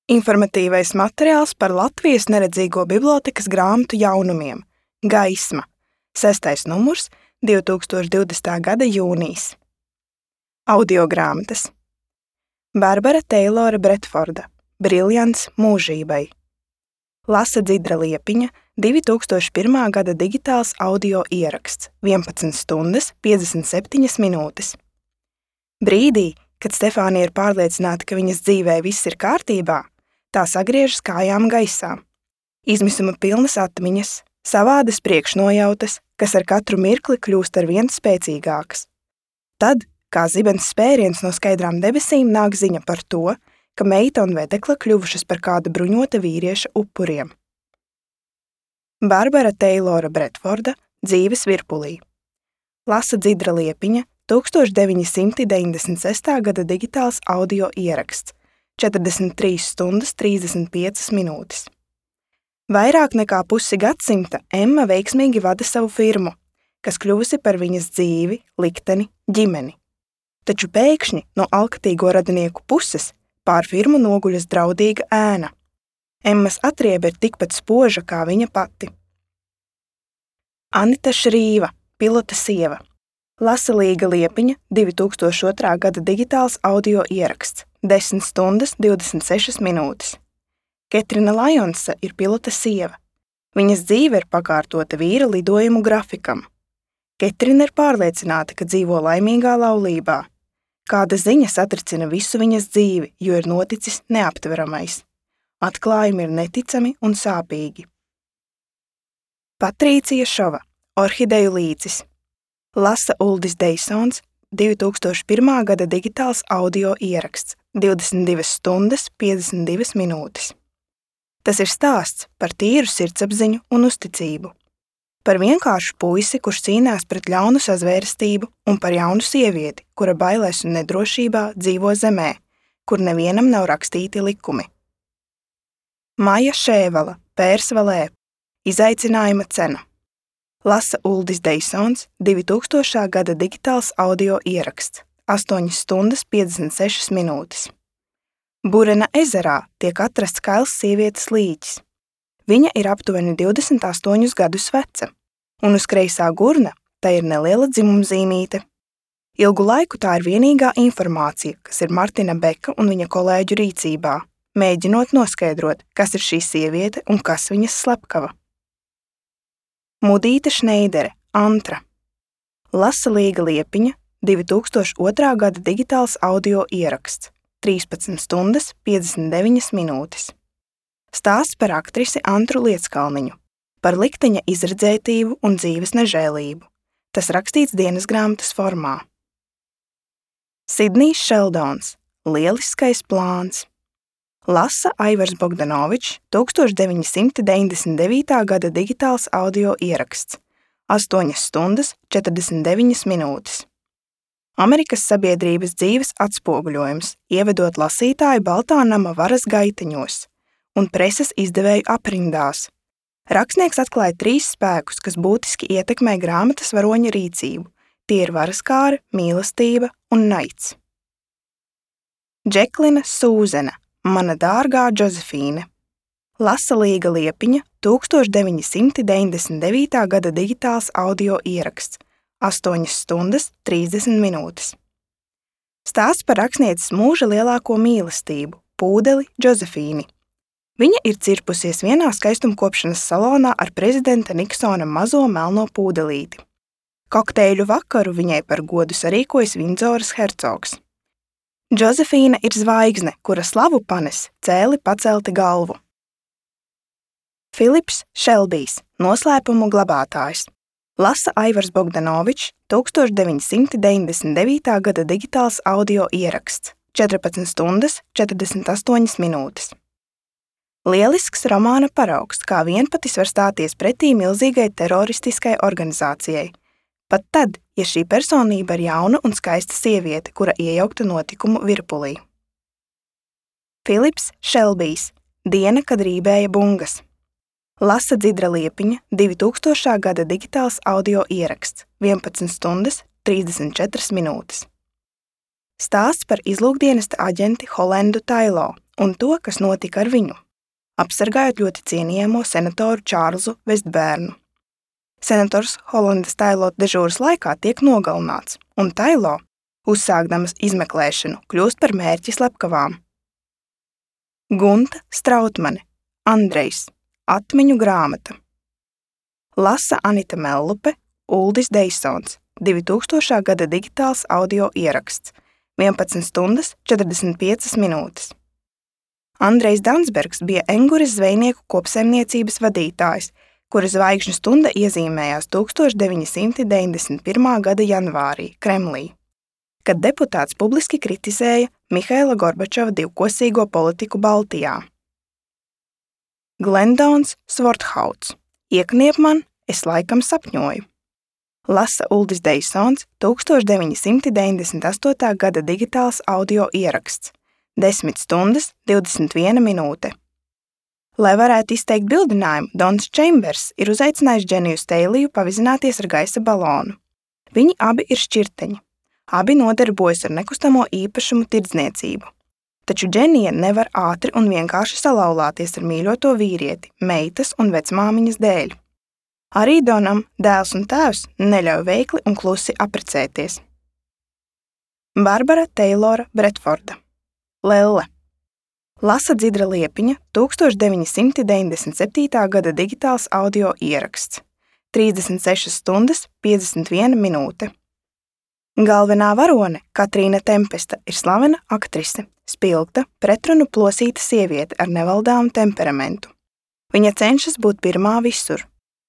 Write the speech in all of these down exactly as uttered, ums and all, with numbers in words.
Informatīvais materiāls par Latvijas neredzīgo bibliotēkas grāmatu jaunumiem Gaisma, sestais numurs, divi tūkstoši divdesmitā gada jūnijas. Audiogrāmatas Barbara Teilora Bretforda Briljants mūžībai. Lasa Dzidra Liepiņa, divi tūkstoši pirmā gada digitāls audio ieraksts, vienpadsmit stundas, piecdesmit septiņas minūtes. Brīdī, kad Stefānija ir pārliecināta, ka viņas dzīvē viss ir kārtībā, tā sagriežas kājām gaisā. Izmisuma pilnas atmiņas, savādas priekšnojautas, kas ar katru mirkli kļūst ar vien spēcīgākas. Tad, kā zibens spēriens no skaidrām debesīm, nāk ziņa par to, ka meita un vedekla kļuvušas par kāda bruņota vīrieša upuriem. Barbara Teilora Bretforda Dzīves virpulī. Lasa Dzidra Liepiņa, tūkstoš deviņi simti deviņdesmit sestā gada digitāls audio ieraksts, četrdesmit trīs stundas, trīsdesmit piecas minūtes. Vairāk nekā pusi gadsimta Emma veiksmīgi vada savu firmu, kas kļuvusi par viņas dzīvi, likteni, ģimeni. Taču pēkšņi no alkatīgo radinieku puses pār firmu noguļas draudīga ēna. Emmas atriebe ir tikpat spoža kā viņa pati. Anita Šrīva, pilota sieva. Lasa Līga Liepiņa, divi tūkstoši otrā gada digitāls audio ieraksts, desmit stundas, divdesmit sešas minūtes. Ketrina Lajonsa ir pilota sieva. Viņas dzīve ir pakārtota vīra lidojumu grafikam. Ketrina ir pārliecināta, ka dzīvo laimīgā laulībā. Kāda ziņa satricina visu viņas dzīvi, jo ir noticis neaptveramais. Atklājumi ir neticami un sāpīgi. Patrīcija Šova, Orhideju līcis. Lasa Uldis Deisons, divi tūkstoši pirmā gada digitāls audio ieraksts, divdesmit divas stundas, piecdesmit divas minūtes. Tas ir stāsts par tīru sirdsapziņu un uzticību. Par vienkāršu puisi, kurš cīnās pret ļaunu sazvērestību, un par jaunu sievieti, kura bailēs un nedrošībā dzīvo zemē, kur nevienam nav rakstīti likumi. Maja Šēvala, Pērsvalē, Izaicinājuma cena. Lasa Uldis Deisons, divi tūkstošā gada digitāls audio ieraksts, astoņas stundas, piecdesmit sešas minūtes. Burena ezerā tiek atrasts kails sievietes līķis. Viņa ir aptuveni divdesmit astoņus gadus veca, un uz kreisā gurna tai ir neliela dzimumzīmīte. Ilgu laiku tā ir vienīgā informācija, kas ir Martina Beka un viņa kolēģu rīcībā, mēģinot noskaidrot, kas ir šī sieviete un kas viņas slepkava. Mudīte Šneidere, Antra. Lasa Līga Liepiņa, divi tūkstoši otrā gada digitāls audio ieraksts, trīspadsmit stundas, piecdesmit deviņas minūtes. Stāsts par aktrisi Antru Lieckalniņu, par likteņa izredzētību un dzīves nežēlību. Tas rakstīts dienas grāmatas formā. Sidnijs Šeldons, Lieliskais plāns. Lasa Aivars Bogdanovičs, tūkstoš deviņi simti deviņdesmit devītā gada digitāls audio ieraksts, astoņas stundas, četrdesmit deviņas minūtes. Amerikas sabiedrības dzīves atspoguļojums, ievedot lasītāju Baltā nama varas gaiteņos un preses izdevēju aprindās. Rakstnieks atklāja trīs spēkus, kas būtiski ietekmē grāmatas varoņa rīcību. Tie ir varaskāre, mīlestība un naids. Džeklina Sūzena, Mana dārgā Džozefīne. Lasa Līga Liepiņa, tūkstoš deviņi simti deviņdesmit devītā gada digitāls audio ieraksts, astoņas stundas, trīsdesmit minūtes. Stāsts par rakstnieces mūža lielāko mīlestību, pūdeli Džozefīni. Viņa ir cirpusies vienā skaistumkopšanas salonā ar prezidenta Niksona mazo melno pūdelīti. Kokteļu vakaru viņai par godu sarīkojas Vindzoras hercogs. Džozefīna ir zvaigzne, kura slavu panes cēli pacelti galvu. Filips Šelbijs, Noslēpumu glabātājs. Lasa Aivars Bogdanovičs, tūkstoš deviņi simti deviņdesmit devītā gada digitāls audio ieraksts, četrpadsmit stundas, četrdesmit astoņas minūtes. Lielisks romāna paraugs, kā vienpatis var stāties pretī milzīgai teroristiskai organizācijai. Pat tad, ja šī personība ir jauna un skaista sieviete, kura iejaukta notikumu virpulī. Filips Šelbijs, Diena, kad rībēja bungas. Lasa Dzidra Liepiņa, divi tūkstošā gada digitāls audio ieraksts, vienpadsmit stundas, trīsdesmit četras minūtes. Stāsts par izlūkdienesta aģenti Holendu Tailo un to, kas notika ar viņu, apsargājot ļoti cienījamo senatoru Čārlzu Vestbērnu. Senators Holendas Tailo dežūras laikā tiek nogalināts, un Tailo, uzsākdamas izmeklēšanu, kļūst par mērķi slepkavām. Gunta Strautmane, Andrejs, Atmiņu grāmata. Lasa Anita Mellupe, Uldis Deisons, divi tūkstošā gada digitāls audio ieraksts, vienpadsmit stundas četrdesmit piecas minūtes. Andrejs Dansbergs bija Enguras zvejnieku kopsaimniecības vadītājs, kura zvaigžņu stunda iezīmējās tūkstoš deviņi simti deviņdesmit pirmā gada janvārī Kremlī, kad deputāts publiski kritizēja Mihaila Gorbačova divkosīgo politiku Baltijā. Glendons Svorthauts. Iekniep man, es laikam sapņoju. Lasa Uldis Deisons, tūkstoš deviņi simti deviņdesmit astotā gada digitāls audio ieraksts, desmit stundas divdesmit viena minūte. Lai varētu izteikt bildinājumu, Dons Čembers ir uzaicinājis Dženiju Steiliju pavizināties ar gaisa balonu. Viņi abi ir šķirteņi. Abi nodarbojas ar nekustamo īpašumu tirdzniecību. Taču Dženija nevar ātri un vienkārši salauzties ar mīļoto vīrieti, meitas un vecmāmiņas dēļ. Arī Donam dēls un tēvs neļauj veikli un klusi apprecēties. Barbara Teilora Bretforda. Lelle. Lasa Dzidra Liepiņa, tūkstoš deviņi simti deviņdesmit septītā gada digitāls audio ieraksts, trīsdesmit sešas stundas piecdesmit viena minūte. Galvenā varone, Katrīna Tempesta, ir slavena aktrise, spilgta, pretrunu plosīta sieviete ar nevaldāmu temperamentu. Viņa cenšas būt pirmā visur.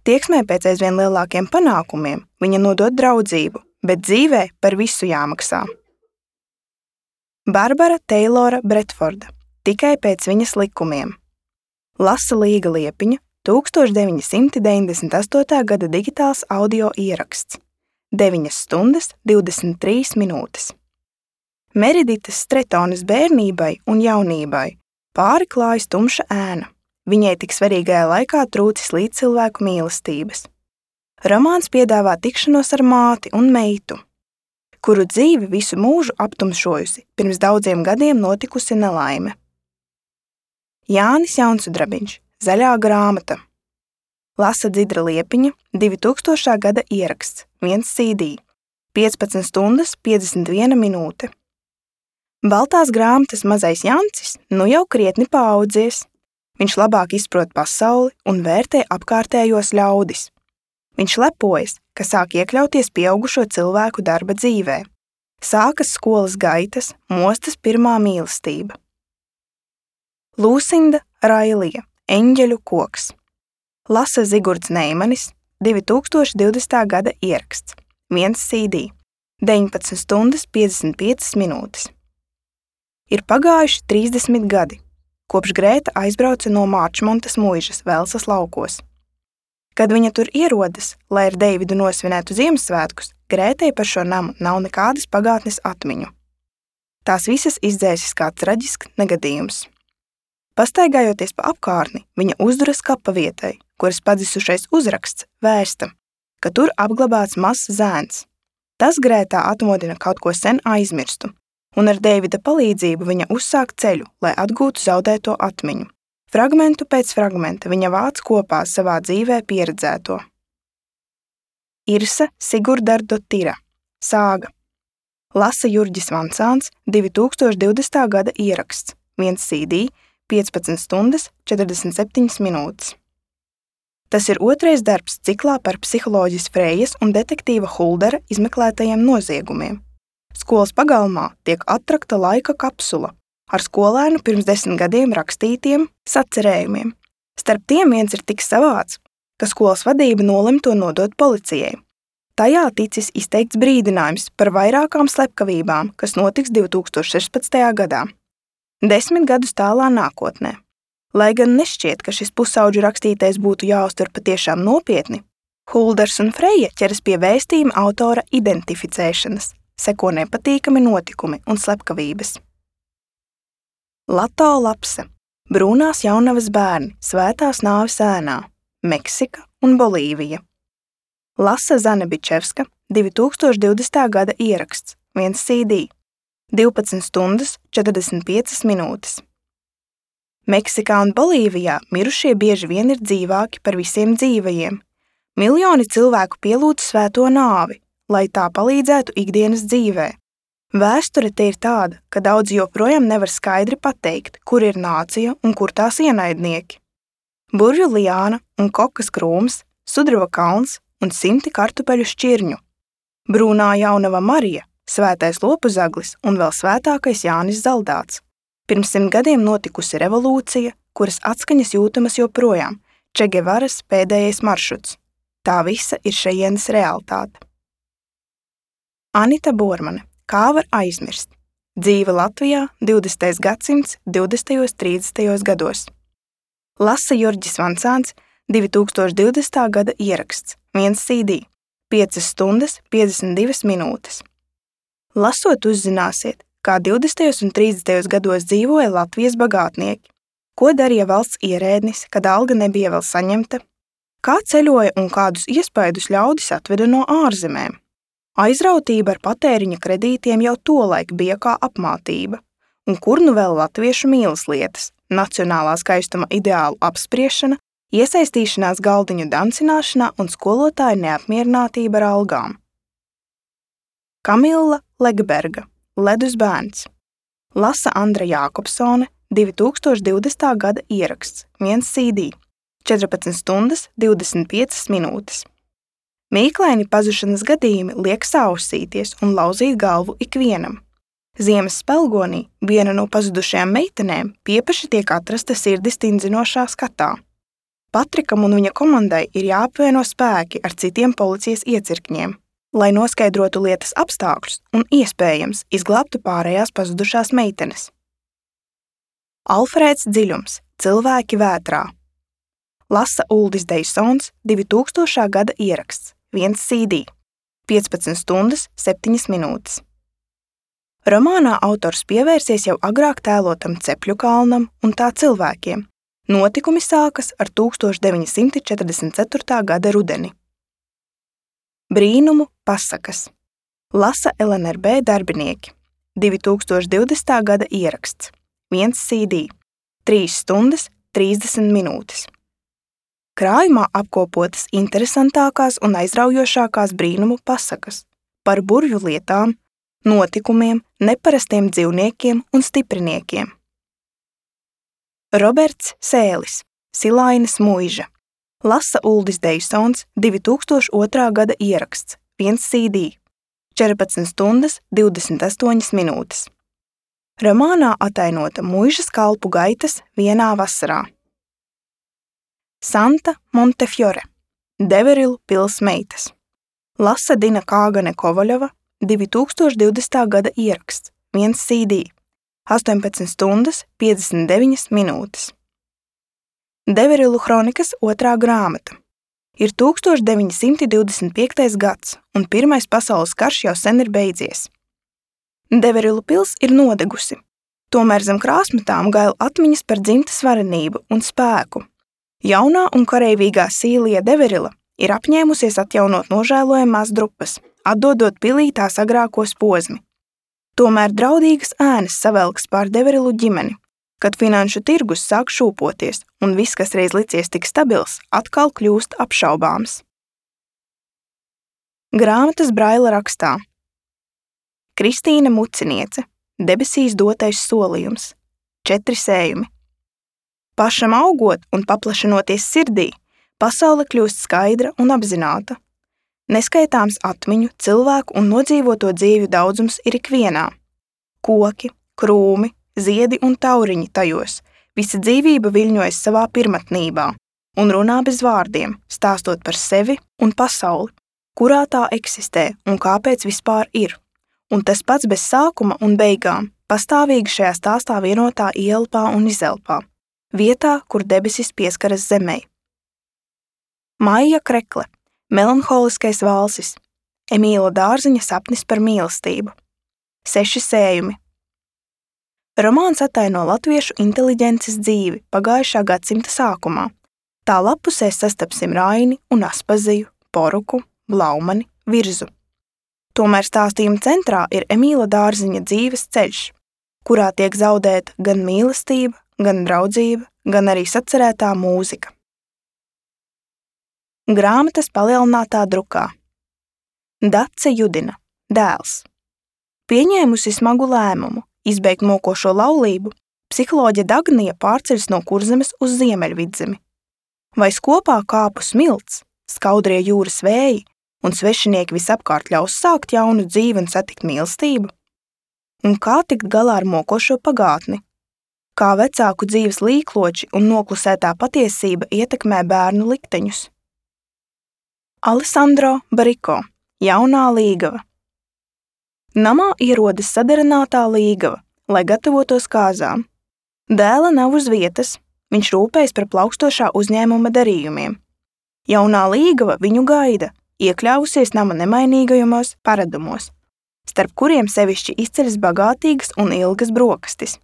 Tieksmē pēc aizvien lielākiem panākumiem viņa nodod draudzību, bet dzīvē par visu jāmaksā. Barbara Teilora Bretforda. Tikai pēc viņas likumiem. Lasa Līga Liepiņa, tūkstoš deviņi simti deviņdesmit astotā gada digitāls audio ieraksts, deviņas stundas divdesmit trīs minūtes. Meriditas Stretonas bērnībai un jaunībai pāri klājas tumša ēna. Viņai tik svarīgajā laikā trūcis līdzcilvēku mīlestības. Romāns piedāvā tikšanos ar māti un meitu, kuru dzīvi visu mūžu aptumšojusi pirms daudziem gadiem notikusi nelaime. Jānis Jaunsudrabiņš, Zaļā grāmata. Lasa Dzidra Liepiņa, divi tūkstošā gada ieraksts, viens C D, piecpadsmit stundas piecdesmit viena minūte. Baltās grāmatas mazais Jancis nu jau krietni paaudzies. Viņš labāk izprot pasauli un vērtē apkārtējos ļaudis. Viņš lepojas, ka sāk iekļauties pieaugušo cilvēku darba dzīvē. Sākas skolas gaitas, mostas pirmā mīlestība. Lūsinda Railija, Eņģeļu koks. Lasa Zigurds Neimanis, divi tūkstoši divdesmitā gada ieraksts, viens C D, deviņpadsmit stundas piecdesmit piecas minūtes. Ir pagājuši trīsdesmit gadi, kopš Grēta aizbrauca no Mārčmontas muižas Velsas laukos. Kad viņa tur ierodas, lai ar Deividu nosvinētu Ziemassvētkus, Grētai par šo namu nav nekādas pagātnes atmiņu. Tās visas izdzēsis kā traģisks negadījums. Pastaigājoties pa apkārtni, viņa uzduras kapa vietai, kuras padzisušais uzraksts vēsta, ka tur apglabāts mazs zēns. Tas Grētā atmodina kaut ko sen aizmirstu, un ar Deivida palīdzību viņa uzsāk ceļu, lai atgūtu zaudēto atmiņu. Fragmentu pēc fragmenta viņa vāc kopā savā dzīvē pieredzēto. Irsa Sigurdardotira, Sāga. Lasa Jurģis Vansāns, divi tūkstoši divdesmitā gada ieraksts, viens C D, piecpadsmit stundas četrdesmit septiņas minūtes. Tas ir otrais darbs ciklā par psiholoģis Frejas un detektīva Huldera izmeklētajiem noziegumiem. Skolas pagalmā tiek attrakta laika kapsula ar skolēnu pirms desmit gadiem rakstītiem sacerējumiem. Starp tiem viens ir tik savāds, ka skolas vadība nolem to nodot policijai. Tajā ticis izteikts brīdinājums par vairākām slepkavībām, kas notiks divi tūkstoši sešpadsmitajā gadā. Desmit gadus tālā nākotnē. Lai gan nešķiet, ka šis pusauģu rakstītais būtu jāuztver patiešām nopietni, Hulders un Freja ķeras pie vēstījuma autora identificēšanas, seko nepatīkami notikumi un slepkavības. Lato Lapse, Brūnās jaunavas bērni, Svētās nāves ēnā, Meksika un Bolīvija. Lasa Zane Bičevska, divi tūkstoši divdesmitā gada ieraksts, viens C D, divpadsmit stundas, četrdesmit piecas minūtes. Meksikā un Bolīvijā mirušie bieži vien ir dzīvāki par visiem dzīvajiem. Miljoni cilvēku pielūdz svēto nāvi, lai tā palīdzētu ikdienas dzīvē. Vēsture te ir tāda, ka daudzi joprojām nevar skaidri pateikt, kur ir nācija un kur tās ienaidnieki. Burvju liāna un kokas krūms, sudraba kalns un simti kartupeļu šķirņu. Brūnā jaunava Marija, svētais lopuzaglis un vēl svētākais Jānis Zaldāts. Pirms simt gadiem notikusi revolūcija, kuras atskaņas jūtamas joprojām, Che Guevaras pēdējais maršruts. Tā visa ir šejienes realitāte. Anita Bormane. Kā var aizmirst? Dzīve Latvijā divdesmitais gadsimts divdesmitajos trīsdesmitajos gados. Lasa Jurģis Vancāns, divi tūkstoši divdesmitā gada ieraksts, viens C D, piecas stundas, piecdesmit divas minūtes. Lasot uzzināsiet, kā divdesmitajos un trīsdesmitajos gados dzīvoja Latvijas bagātnieki, ko darīja valsts ierēdnis, kad alga nebija vēl saņemta, kā ceļoja un kādus iespaidus ļaudis atveda no ārzemēm. Aizrautība ar patēriņa kredītiem jau tolaik bija kā apmātība, un kur nu vēl latviešu mīlas lietas, nacionālā skaistuma ideālu apspriešana, iesaistīšanās galdiņu dancināšanā un skolotāja neapmierinātība ar algām. Kamila Legberga, Ledus bērns. Lasa Andra Jākopsone, divi tūkstoši divdesmitā gada ieraksts, viens C D, četrpadsmit stundas, divdesmit piecas minūtes. Mīklaini pazušanas gadījumi liek sausīties un lauzīt galvu ikvienam. Ziemas spelgonī viena no pazudušajām meitenēm piepaši tiek atrasta sirdi stindzinošā skatā. Patrikam un viņa komandai ir jāapvieno spēki ar citiem policijas iecirkņiem, lai noskaidrotu lietas apstākļus un iespējams izglābtu pārējās pazudušās meitenes. Alfrēds Dziļums, Cilvēki vētrā. Lasa Uldis Deisons, divi tūkstošā gada ieraksts, viens C D, piecpadsmit stundas, septiņas minūtes. Romānā autors pievērsies jau agrāk tēlotam Cepļu kalnam un tā cilvēkiem. Notikumi sākas ar tūkstoš deviņi simti četrdesmit ceturtā gada rudeni. Brīnumu pasakas. Lasa L N R B darbinieki, divi tūkstoši divdesmitā gada ieraksts, viens C D, trīs stundas, trīsdesmit minūtes. Krājumā apkopotas interesantākās un aizraujošākās brīnumu pasakas par burvju lietām, notikumiem, neparastiem dzīvniekiem un stipriniekiem. Roberts Sēlis, Silainas mūža. Lasa Uldis Deisons, divi tūkstoši otrā gada ieraksts, viens C D, četrpadsmit stundas, divdesmit astoņas minūtes. Romānā atainota mūžas kalpu gaitas vienā vasarā. Santa Montefiore, Deverilu pils meitas. Lasa Dina Kāgane Kovaļova, divi tūkstoši divdesmitā gada ieraksts, viens C D, astoņpadsmit stundas, piecdesmit deviņas minūtes. Deverilu kronikas otrā grāmata. Ir tūkstoš deviņi simti divdesmit piektais gads, un Pirmais pasaules karš jau sen ir beidzies. Deverilu pils ir nodegusi, tomēr zem krāsmatām gaila atmiņas par dzimtas varenību un spēku. Jaunā un kareivīgā Sīlija Deverila ir apņēmusies atjaunot nožēlojamās drupas, atdodot pilī tās agrākos posmi. Tomēr draudīgas ēnas savelks pār Deverilu ģimeni, kad finanšu tirgus sāk šūpoties un viss, kas reiz licies tik stabils, atkal kļūst apšaubāms. Grāmatas Braila rakstā. Kristīne Muciniece, Debesīs dotais solījums, četri sējumi. Pašam augot un paplašinoties sirdī, pasaule kļūst skaidra un apzināta. Neskaitāms atmiņu, cilvēku un nodzīvoto dzīvju daudzums ir ikvienā. Koki, krūmi, ziedi un tauriņi tajos, visa dzīvība viļņojas savā pirmatnībā un runā bez vārdiem, stāstot par sevi un pasauli, kurā tā eksistē un kāpēc vispār ir. Un tas pats bez sākuma un beigām, pastāvīgi šajā stāstā vienotā ielpā un izelpā. Vietā, kur debesis pieskaras zemei. Maija Krekle, Melanholiskais valsis, Emīla Dārziņa sapnis par mīlestību. Seši sējumi. Romāns ataino latviešu inteliģences dzīvi pagājušā gadsimta sākumā. Tā lapusēs sastapsim Raini un Aspaziju, Poruku, Blaumani, Virzu. Tomēr stāstījuma centrā ir Emīla Dārziņa dzīves ceļš, kurā tiek zaudēta gan mīlestība, gan draudzība, gan arī sacerētā mūzika. Grāmatas palielinātā drukā. Dace Judina, dēls. Pieņēmusi smagu lēmumu izbeigt mokošo laulību, psiholoģe Dagnija pārceļas no Kurzemes uz Ziemeļvidzemi. Vai skopā kāpu smilts, skaudrie jūras vēji un svešinieki visapkārt ļaus sākt jaunu dzīvi un satikt mīlestību? Un kā tikt galā ar mokošo pagātni? Kā vecāku dzīves līkloči un noklusētā patiesība ietekmē bērnu likteņus? Alessandro Bariko, jaunā līgava. Namā ierodas sadarinātā līgava, lai gatavotos kāzām. Dēla nav uz vietas, viņš rūpējas par plaukstošā uzņēmuma darījumiem. Jaunā līgava viņu gaida, iekļāvusies nama nemainīgajumos paradumos, starp kuriem sevišķi izceļas bagātīgas un ilgas brokastis.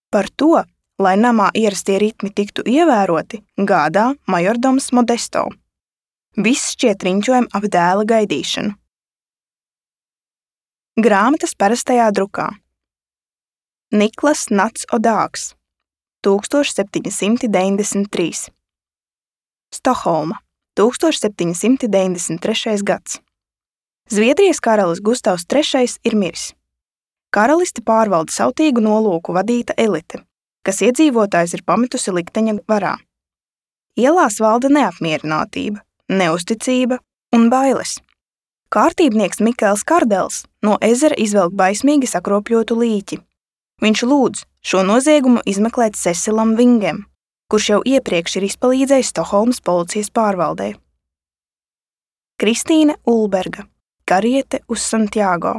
Par to, lai namā ierastie ritmi tiktu ievēroti, gādā majordoms Modesto. Viss šķiet riņķojam ap dēla gaidīšanu. Grāmatas parastajā drukā. Niklas Nats Odāks, tūkstoš septiņi simti deviņdesmit trīs. Stokholma, tūkstoš septiņi simti deviņdesmit trešais gads. Zviedrijas karalis Gustavs trešais ir miris. Karalisti pārvalda sautīgu nolūku vadīta elite, kas iedzīvotājs ir pametusi likteņa varā. Ielās valda neapmierinātība, neusticība un bailes. Kārtībnieks Mikēls Kardels no ezera izvelk baismīgi sakropļotu līķi. Viņš lūdz šo noziegumu izmeklēt Cecilam Vingem, kurš jau iepriekš ir izpalīdzējis Stokholmas policijas pārvaldē. Kristīne Ulberga, kariete uz Santiago.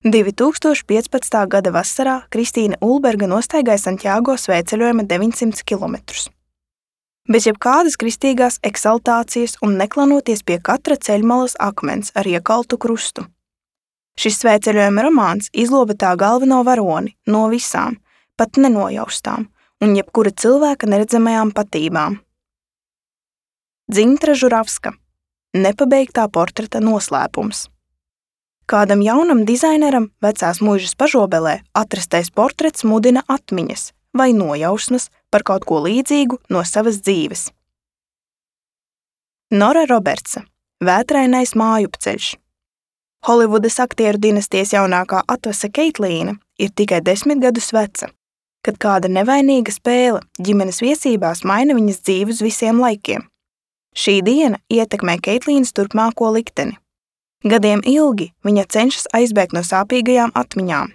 divi tūkstoši piecpadsmitā gada vasarā Kristīne Ulberga nostaigāja Santiago svētceļojuma deviņsimt kilometrus. Bez jebkādas kristīgās eksaltācijas un neklanoties pie katra ceļmalas akmens ar iekaltu krustu. Šis svētceļojuma romāns izloba tā galveno varoni no visām, pat nenojaustām un jebkura cilvēka neredzamajām patībām. Dzintra Žuravska, nepabeigtā portreta noslēpums. Kādam jaunam dizaineram vecās mūžas pažobelē atrastais portrets mudina atmiņas vai nojausmas par kaut ko līdzīgu no savas dzīves. Nora Robertsa, vētrainais mājupceļš. Holivudas aktieru dinastijas jaunākā atvase Keitlīna ir tikai desmit gadus veca, kad kāda nevainīga spēle ģimenes viesībās maina viņas dzīvi uz visiem laikiem. Šī diena ietekmē Keitlīnas turpmāko likteni. Gadiem ilgi viņa cenšas aizbēgt no sāpīgajām atmiņām.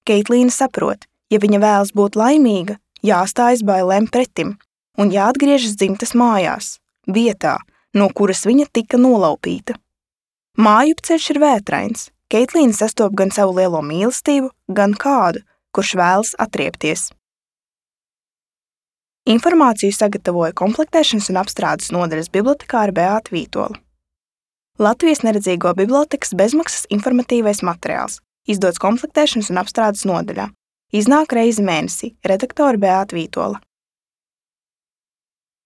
Keitlīna saprot, ja viņa vēlas būt laimīga, jāstājas bailēm pretim un jāatgriežas dzimtas mājās, vietā, no kuras viņa tika nolaupīta. Mājupceļš ir vētrains. Keitlīna sastop gan savu lielo mīlestību, gan kādu, kurš vēlas atriepties. Informāciju sagatavoja komplektēšanas un apstrādes nodaļas bibliotekāre Beāta Vītola. Latvijas neredzīgo bibliotekas bezmaksas informatīvais materiāls, izdots komplektēšanas un apstrādes nodaļā. Iznāk reizi mēnesī, redaktore Beāta Vītola.